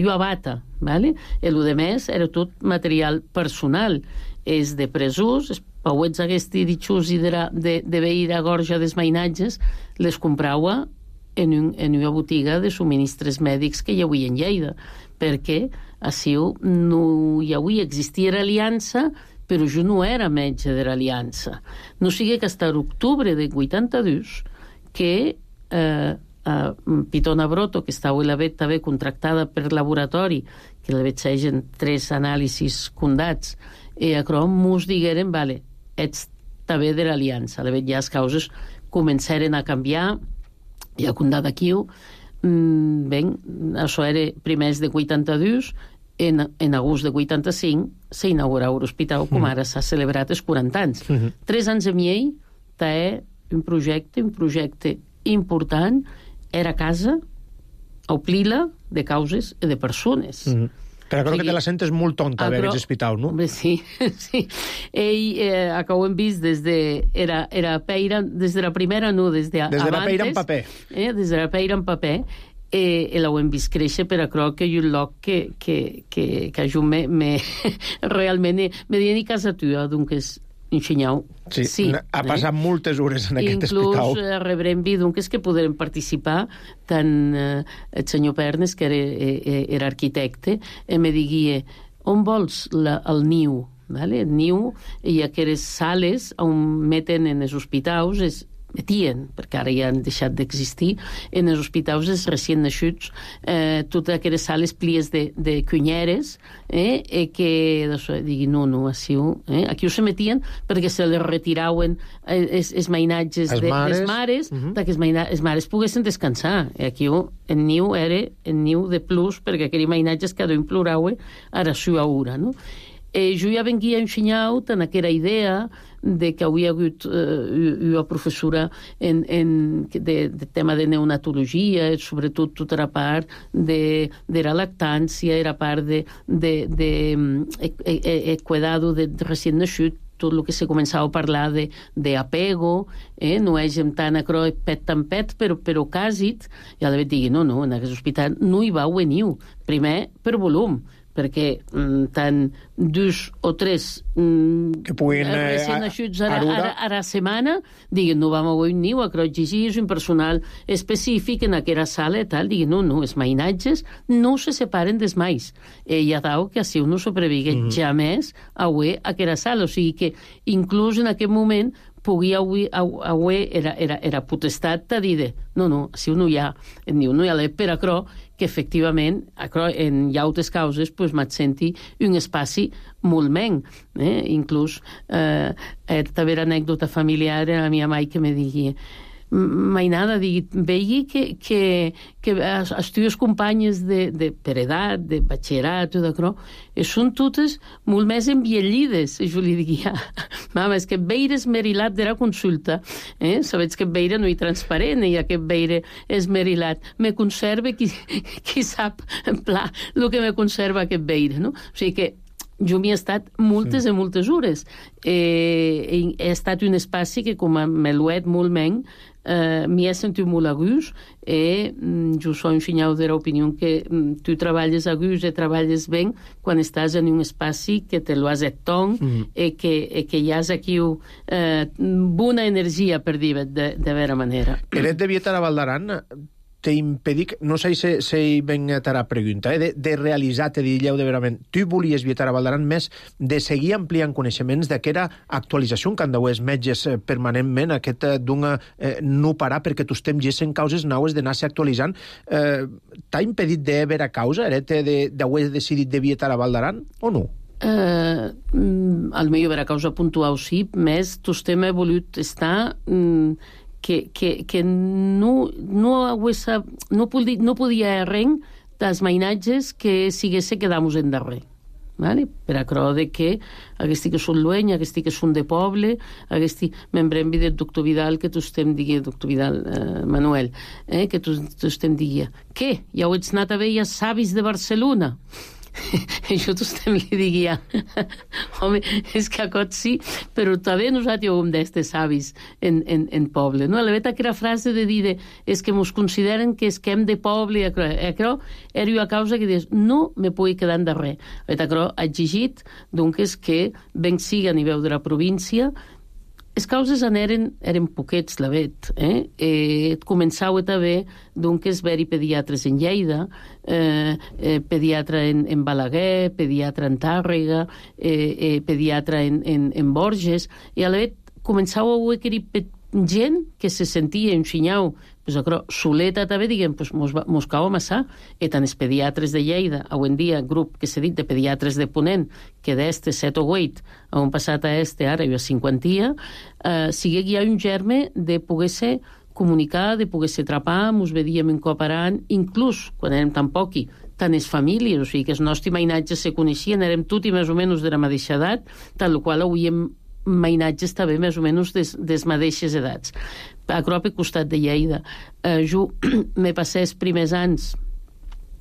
jo abata, ¿vale? El de més era tot material personal, és de presús, els pauets aquests ditxos i de veir a gorja dels mainatges, les comprava en una botiga de subministres mèdics que hi havia en Lleida, perquè així no hi havia, existia l'aliança, però jo no era metge de l'aliança. No sigui que fins a l'octubre de 82 que Pitona Broto, que estava la vet també contractada per laboratori, que la vet segen 3 anàlisis condats, i a Crom mos digueren, vale, ets també de l'aliança. La vet ja les causes començaren a canviar, i a condat aquí, això era primers de 82, en agost de 85 s'inaugurava l'hospital, com ara s'ha celebrat els 40 anys. 3 anys i mig, té un projecte important, era casa, omplir-la de causes i de persones. Però crec que te la sentes molt tonta, haver aquest hospital, no? Sí. Ell, com hem vist, des de la primera, no, des de abans. Des de la peira en paper. Des de la peira en paper, l'hem vist créixer, però crec que hi ha un lloc que jo realment me diuen i casa tua, doncs és ensenyau. Sí, ha passat moltes hores en aquest hospital. Inclús rebrem doncs que podrem participar tant el senyor Pernes, que era arquitecte, me diguia, on vols el niu? El niu, hi ha aquelles sales on meten en els hospitals, perquè ara ja han deixat d'existir, en els hospitals els recient naixuts, totes aquelles sales plies de cunyeres, que diguin, no, aquí ho se metien perquè se les retiraven els mainatges de les mares, perquè les mares poguessin descansar. Aquí el niu era el niu de plus, perquè aquells mainatges cada un plorava a la seva hora, no? Jo ja venia ensenyat en aquella idea de que havia hagut una professora de tema de neonatologia, sobretot tota la part de la lactància, la part de cuidado de recient naixut, tot el que se començava a parlar d'apego, no és tant pet, però quasi, i a la vegada digui, no, en aquest hospital no hi va venir, primer per volum, perquè tant 2 o 3 que puguin recient naixuts a la setmana diguin, no vam haver un niu, exigir un personal específic en aquella sala i tal, diguin, no, els mainatges no se separen dels mais, i ha dau que així no sobrevigue jamés a aquella sala, o sigui que inclús en aquest moment podia era potestat de dir, no, si no hi ha per acrò, que efectivament en llautes causes m'hat senti un espaci molt menys. Inclús també era anècdota familiar a la meva mare que me digui, mainada, vegi que les teves companyes per edat, de batxillerat, són totes molt més enviellides. I jo li digia, mama, és que veire esmerilat de la consulta, sabets que veire no hi transparent, i aquest veire esmerilat me conserva qui sap en pla el que me conserva aquest veire, no? O sigui que jo m'hi he estat moltes i moltes hores. He estat un espaci que, com me l'he molt menys, m'hi he sentit molt a gust, i jo soy ensenyat de l'opinió que tu treballes a gust i treballes bé quan estàs en un espaci que te lo has etton, i que hi has aquí bona energia, per dir de vera manera. Eres de Vieta a Val d'Aran, te impedic, no sé si ben t'ara pregunta, de realitzar, te dilleu de verament, tu volies Vietar a Valdaran més de seguir ampliant coneixements d'aquera actualització que han d'haver els metges permanentment, aquest d'una no parar perquè tu estem gessen causes naues d'anar-se actualitzant. T'ha impedit de vera causa, d'haver decidit de Vietar a Valdaran, o no? Al millor vera causa puntual sí, més tu estem volut estar... que no podia ren dels mainatges que siguesse quedamos en darrer. Vale? Per acrò de que aquesti que són lueny, aquesti que són de poble, aquesti membrem del doctor Vidal, que tu estem dient, doctor Vidal, Manuel, que tu estem dient, què? Ja ho ets anat a veure savis de Barcelona? Jo t'estem li diguia, home, és que a cot sí, però també nosaltres som d'estes savis en poble, no? La veta que era frase de dir, és que mos consideren que esquem de poble, i això era una causa que dius, no me pugui quedar en darrer. La veta que ha exigit, doncs, que ben siga a nivell de la província. Les causes eren poquets, la vet. Començau també, doncs, haver-hi pediatres en Lleida, pediatra en Balaguer, pediatra en Tàrrega, pediatra en Borges, i a la vet començau a veure gent que se sentia enxinyau, soleta també, diguem, mos cau a massar, i tant els pediatres de Lleida, avui en dia, grup que s'ha dit de pediatres de Ponent, que d'este 7 o 8, on passat a este, ara hi ha 50, sigui que hi ha un germe de poder-se comunicar, de poder-se trapar, mos vedíem incorporant, inclús, quan érem tan poqui, tant les famílies, o sigui que els nostres mainatges se coneixien, érem tots més o menys de la mateixa edat, tal qual avui hem mainatges també més o menys des mateixes edats. A prop al costat de Lleida. Jo me passé els primers anys,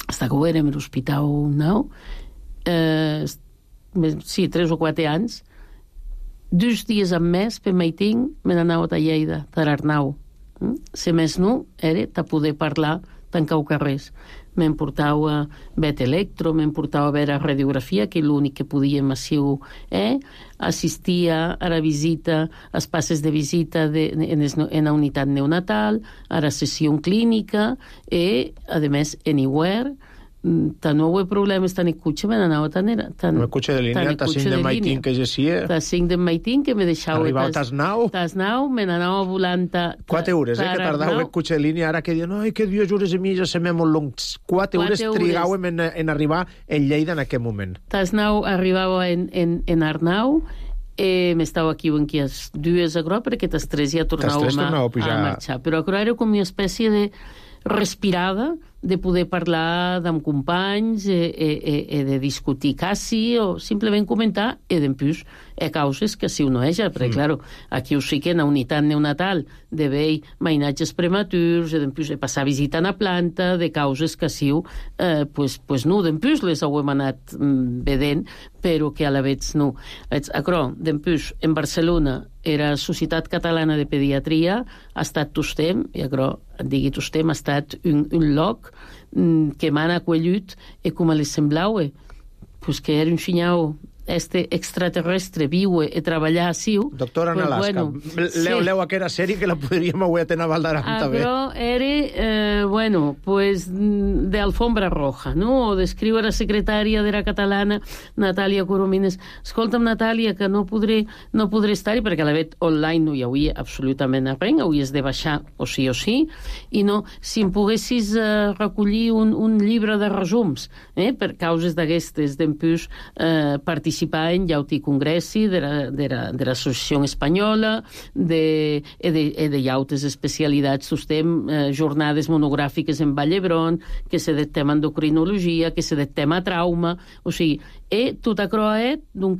fins que ho érem a l'Hospital Nou, 3 o 4 anys, 2 dies al mes per meiting me n'anava a Lleida, a l'Arnau. Si més no, era de poder parlar tancar carrers. Me'n portava a vet electro, me'n portava a veure radiografia, que l'únic que podíem massiu assistia a la visita, als passes de visita en la unitat neonatal, a la sessió clínica, i, a més, anywhere, tant no hi ha problemes, tant el cotxe me n'anava tant... El cotxe de línia, tant 5 de maitín que gesia... Tant 5 de maitín que me deixava... Arribava a Tasnau. Tasnau, me n'anava volant... 4 hores, que tardava el cotxe de línia, ara que diuen, ai, que 2 hores i mitja, se m'ha molt long. 4 hores trigàvem en arribar en Lleida en aquest moment. Tasnau arribava en Arnau, m'estava aquí en qui és 2 a Gro, perquè les 3 ja tornàvem a marxar. Però a Gro era com una espècie de respirada de poder parlar amb companys i de discutir quasi o simplement comentar i d'empús causes que si uno eja, perquè claro, aquí ho sí que en la unitat neonatal de veure mainatges prematurs i d'empús de passar visitant a planta de causes que si pues no, d'empús les hauem anat vedent, però que a la vegada no. Acrò, d'empús, en Barcelona era Societat Catalana de Pediatria, ha estat Tostem, i acrò, digui Tostem, ha estat un lloc que m'han acollit i com li semblava pues que era un xinyau extraterrestre viure i treballar així. Doctora en Alaska. Leu aquella sèrie que la podríem avui tenir a Valdaran també. Però era, pues, de alfombra roja, no? O d'escriure la secretària de la catalana, Natàlia Coromines. Escolta'm, Natàlia, que no podré estar-hi, perquè a la vet online no hi hauria absolutament res, hauries de baixar o sí, i no, si em poguessis recollir un llibre de resums, per causes d'aquestes, d'empús participar en llauti congressi de l'Associació Espanyola, de llautes especialitats, sustem jornades monogràfiques en Vall d'Hebron, que se de tema endocrinologia, que se de tema trauma, o sigui, tot això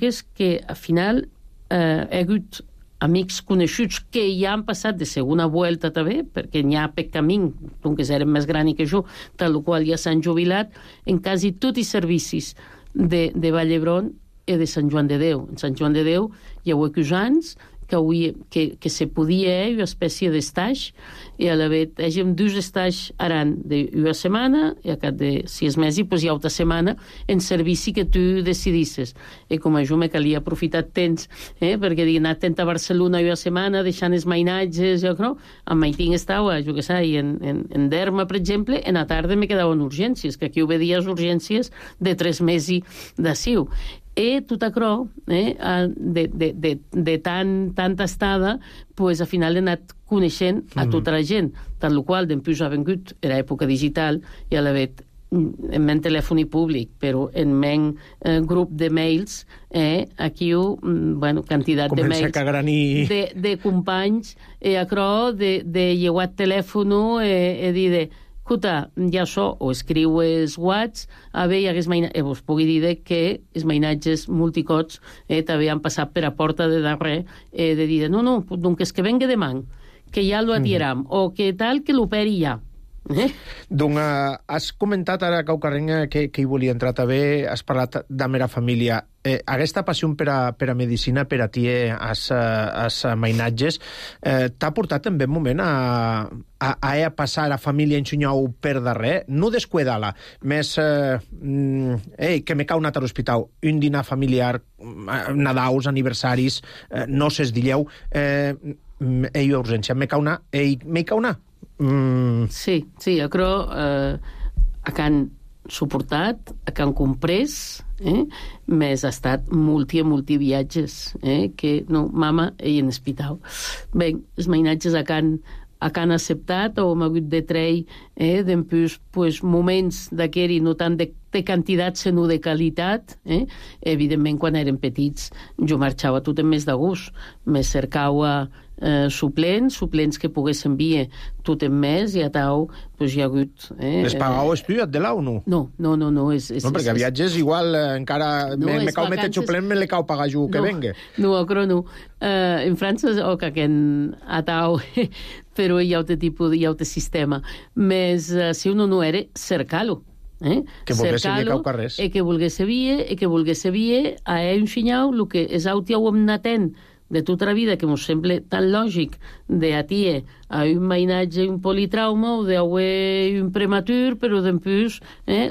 és que al final hi ha hagut amics coneguts que ja han passat de segona volta també, perquè n'hi ha per camí, doncs eren més grans que jo, tal qual ja s'han jubilat, en quasi tots els servicis de Vall d'Hebron i de Sant Joan de Déu. En Sant Joan de Déu hi ha anys que se podia una espècie d'estage, i a la vez hagem 2 estages aran d'una setmana, i a cap de 6 mesos pues, hi ha altra setmana en servici que tu decidisses. I com a jo me calia aprofitar temps, perquè he anat a Barcelona una setmana, deixant els mainatges, jo crec, en Maitín estava, jo què sé, i en Derma, per exemple, en la tarda me quedaven urgències, que aquí ho veia urgències de 3 mesos d'aciu. I tot això, de tanta estada, pues, al final he anat coneixent a tota la gent, tal qual, després ha vengut, era època digital, i a la vegada en men telèfon públic, però en men grup de mails, aquí quantitat de mails de companys, de lleuat telèfon, dir escolta, ja so, o escriues whats, vos pugui dir que els mainatges multicots també han passat per a porta de darrer, de dir, no, doncs que venga demà, que ja lo atieram, o que tal, que l'operi ja. Doncs has comentat ara, Caucarrenc, que hi volia entrar també, has parlat de la meva família. Aquesta passió per a medicina per a ti, als mainatges, t'ha portat també un moment a passar a família ensenyau per darrer, no descuidar-la, més que me cau anat a l'hospital, un dinar familiar, Nadaus, aniversaris, noces d'illeu, urgència, me cau anar. Sí, jo crec que han suportat, que han comprès, més ha estat multi viatges, que no, mama, ell en hospital. Bé, els mainatges que han acceptat, o hem hagut de treure, després moments d'aquest, no tant de quantitat, sinó de qualitat. Evidentment, quan eren petits, jo marxava tot en més de gust, me cercava suplents que poguessin enviar tot en més, i a tau hi ha hagut... Les pagau estudiat de la o no? No. No, perquè a viatges igual encara me cau meter suplent, me le cau pagar jo que venga. No, no. En França, a tau, però hi ha altre tipus, hi ha altre sistema. Més, si uno no era, cercar-lo. Que volgués saber caucarres. Que volgués saber a un xinyau el que és auti ho hem natent de tota la vida, que mos sembla tan lògic de atie a un mainatge, un politrauma, o de un prematur, però després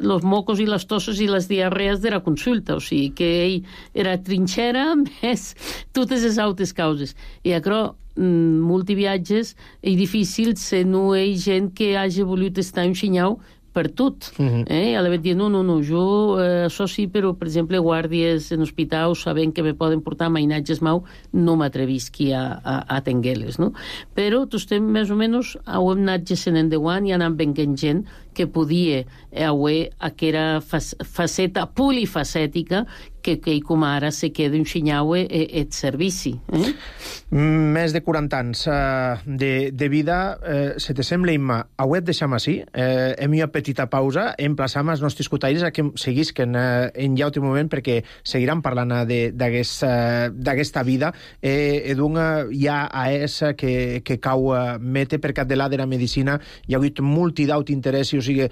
los mocos i les tosses i les diarrees de la consulta. O sigui que ell era trinxera més totes les altres causes. I això, multiviatges, és difícil si no hi ha gent que hagi volut estar un xinyau per tot. A la vegada dir, no, jo això sí, però, per exemple, guàrdies en hospitals, sabent que me poden portar mainatges mau, no m'atrevisqui a tenir-les, no? Però tu estem més o menys, ho hem anat gestionant endavant i anant venint gent que podia haver aquella faceta polifacètica que com ara se queda un xinyau et servici. Més de 40 anys de vida, se te sembla, Imma, ho et deixam així, hem una petita pausa, emplaçam els nostres cotaires a que seguisquen en ja altre moment, perquè seguiran parlant d'aquesta vida, hi ha a esa que cau mete per cap de la de la medicina, hi ha hagut multidaut interessi, o sigui,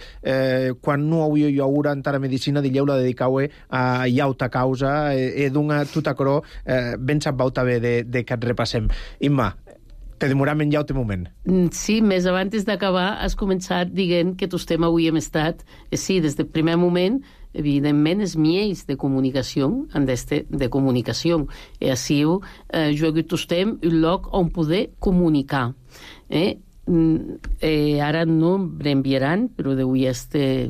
quan no hauria jo haurà entrar a medicina, dilleu-la dedicau a llauta causa, d'una tota cró, ben sabau també de que et repassem. Imma, te demoram en llaute moment. Sí, més abans d'acabar, has començat dient que tots tema avui hem estat, sí, des del primer moment, evidentment, els miels de comunicació, de comunicació. I així, jo he hagut un lloc on poder comunicar. Ara no m'enviaran, però d'avui potser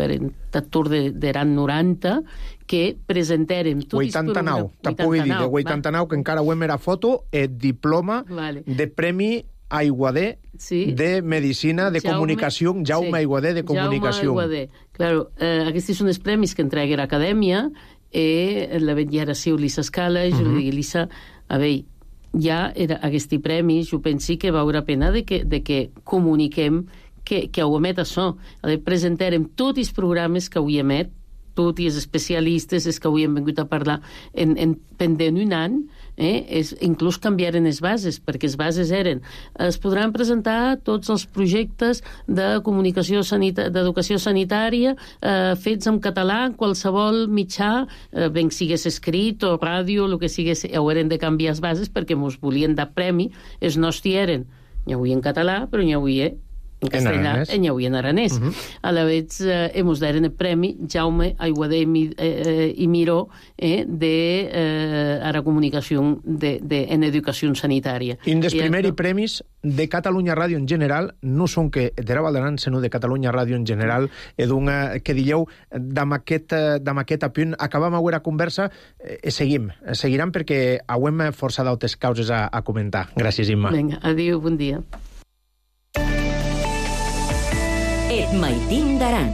eren tot d'eran 90, que presentarem tot 89, te pugui dir, de 89, que encara ho hem era foto, el diploma de Premi Aiguader de Medicina de Comunicació, Jaume Aiguader de Comunicació. Jaume Aiguader. Claro, aquests són els premis que entrega l'acadèmia, la vetllara siu Lisa Scala, jo li dic, Lisa, a veure, ja aquests premis, jo penso que val la pena de que comuniquem que ho emet això. Presentarem tots els programes que avui emet, tot i els especialistes és que avui hem vingut a parlar pendent un any, inclús canviaren les bases, perquè les bases eren es podran presentar tots els projectes de comunicació d'educació sanitària fets en català en qualsevol mitjà, ben sigués escrit o ràdio, el que sigués, haurem de canviar les bases perquè mos volien dar premi, els nostres eren n'hi avui en català, però n'hi avui en castellà, n'hi avui en aranès. A la vez hemos dado el premi Jaume Aiguader i Miró de la comunicació en educació sanitària. Un dels primers premis de Catalunya Ràdio en general, no són que de la Val d'Aran, sinó de Catalunya Ràdio en general, que dieu, d'am aquest apunt, acabam avui la conversa, seguiran perquè hauem força d'altres causes a comentar. Gràcies, Imma. Vinga, adéu, bon dia. Et maitim d'aran.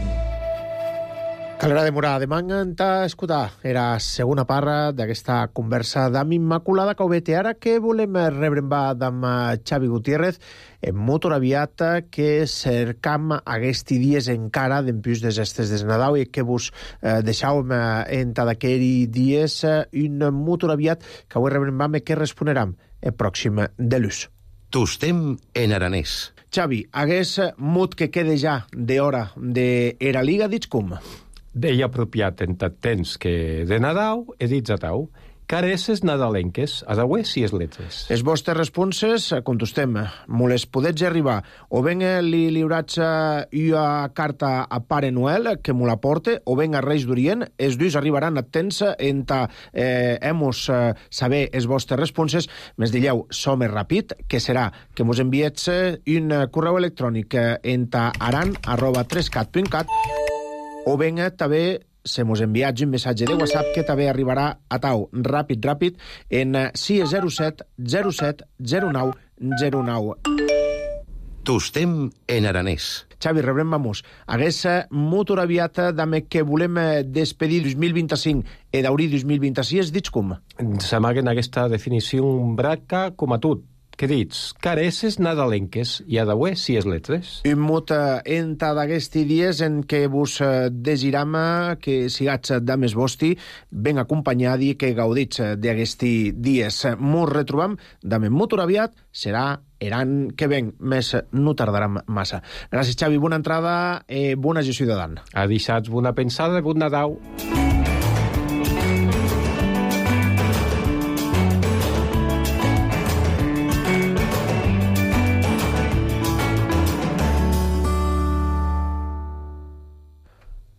Calera de Morà, demà t'ha escoltar. Era segona part d'aquesta conversa d'am Immaculada Caubet. I ara que volem rebre d'am Xavi Gutiérrez, en molt aviat que cercam aquests dies encara d'empús des estes des Nadal i que vos deixàvem en d'aquells dies un molt aviat que avui rebrem que responeram el pròxim de l'ús. Tostem en aranès. Xavi, hagués mut que quede ja d'hora d'era Liga, dits com? Deia apropiat en tant temps que de Nadal he dit a tau. Careces nadalenques, a daué si es letres. Els vostres responses, contestem, me les podets arribar. O ben li liurats una carta a Pare Noel, que me la porte, o ben a Reis d'Orient, els dos arribaran a temps enta hemos saber els vostres responses, més dilleu, som ràpid, que serà que mos enviets un correu electrònic enta aran@3cat.cat, o ben també se mos enviats un missatge de WhatsApp que també arribarà a tau ràpid en 607 07 09 09. Tostem en aranès. Xavi, rebrem vamos. Hagués molt aviat d'ame que volem despedir 2025 i d'obrir 2026, dits com? S'amaguen aquesta definició braca com a tot. Què dits? Careces nadalenques i a daué si es letres. Un mot enta d'aquests dies en què vos desiram que sigats dames vosti ben acompanyadi i que gaudits d'aquests dies. Mos retrobam dame molt aviat, serà l'any que ven, més no tardarà massa. Gràcies, Xavi, bona entrada i bona gestió ciutadana. A dissabte, bona pensada, bon Nadal.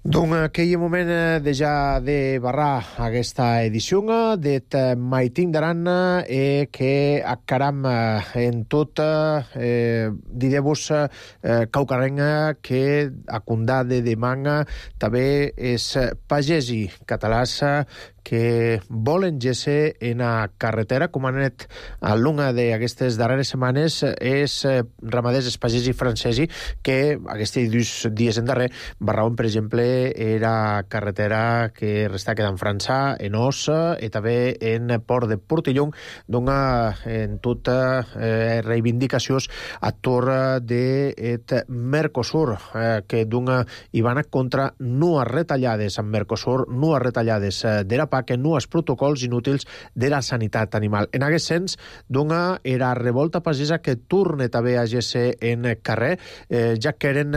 Doncs aquell moment de ja de barrar aquesta edició d'Et maitim d'aran que acaram en tot diré-vos caucarenga que a condà de demanga també és pagesi catalàs que volen gesse en la carretera, com han anat a l'una d'aquestes darreres setmanes, és ramaders espagesi francesi que aquests dies en darrer barrauen, per exemple, era carretera que resta quedant França, en Os, i també en Port de Portellón, dona en tota reivindicacions a torn d'et Mercosur, que dona i van contra nues retallades amb Mercosur, nues retallades de la PAC, nues protocols inútils de la sanitat animal. En aquest sens, dona era revolta pagesa que torna també a gesse en carrer, ja que eren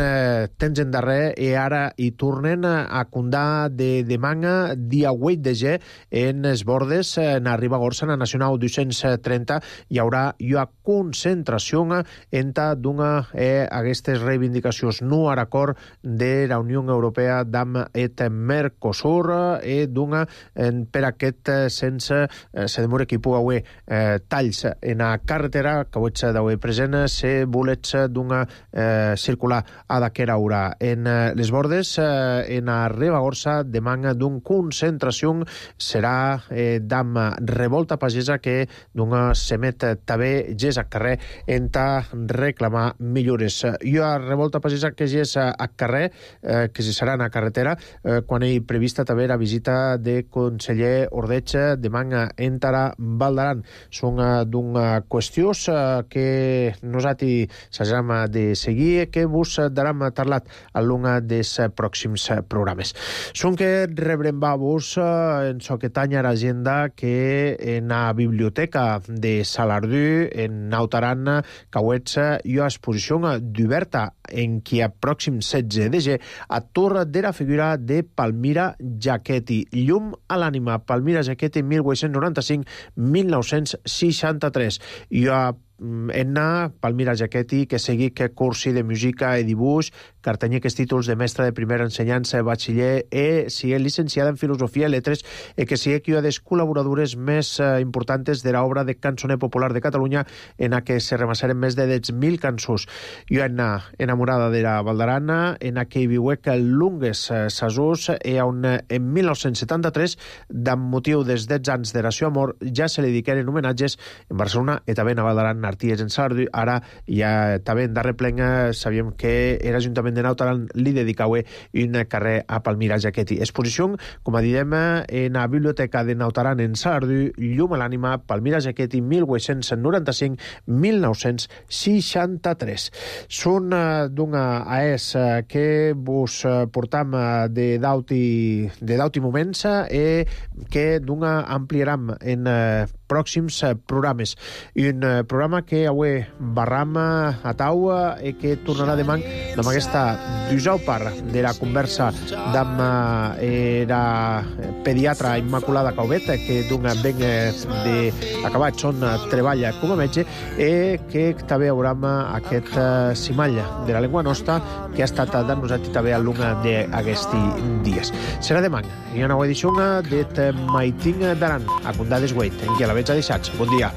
temps en darrer i ara hi tornen a condà de demanga dia 8 de ge en els bordes en Ribagorça, en la Nacional 230, hi haurà una concentració entre d'una aquestes reivindicacions no a l'acord de la Unió Europea d'am et Mercosur i d'una per aquest sense se demora que hi pugui haver talls en la carretera que ho ets d'haver present se volets d'una circular a d'aquera hora. En les bordes en a Ribagorça demanga d'un concentració serà d'am revolta pagesa que d'una semet també ges a carrer enta reclamar millores. I a revolta pagesa que ges a carrer que se serà en la carretera quan hi prevista també la visita de conseller Ordeig demà entara Val d'Aran. Són d'una qüestió que nosaltres s'haurem de seguir, que vos daram parlat a l'un dels pròxims programes. Són que rebrem vos en soquetanya l'agenda que en la biblioteca de Salardú, en Nautaran, cauets i exposició d'oberta en qui a pròxim 16 de gener a Torre de la figura de Palmira Giachetti. Llum a l'ànima, Palmira Giachetti, 1895-1963. I a Palmira Giachetti, que segui que cursi de música i dibuix, cartenyer que és títols de mestra de primera ensenyança, batxiller, sigui licenciada en filosofia i letres, que sigui que una de les col·laboradores més importants de l'obra de cançoner popular de Catalunya, en la que se remassaren més de 10.000 cançons. Jo enamorada de la Val d'Aran, en la que hi viuec lungues sasús, on en 1973, amb motiu dels 10 anys de la seva mort, ja se li dediqueren homenatges en Barcelona i també a Val d'Aran, Arties en Salardú. Ara ja també en darrer plen sabíem que l'Ajuntament de Nautaran li dedicava un carrer a Palmira Giachetti. Exposició, com a diem, en la biblioteca de Nautaran en Salardú, Llum a l'ànima, Palmira Giachetti, 1895-1963. Són d'una AES que vos portam de dauti moments que d'una ampliaram en pròxims programes. I un programa que avui barram a taula i que tornarà demà amb aquesta dusau part de la conversa amb la pediatra Immaculada Caubet, que d'un ben d'acabat són treballa com a metge, i que també haurem aquest cimall de la llengua nostra que ha estat dant nosaltres també a l'una d'aquests dies. Serà demà. Hi ha una nova edició de Maiting d'Aran, a Condades Guait, en qui a la veig a deixats. Bon dia.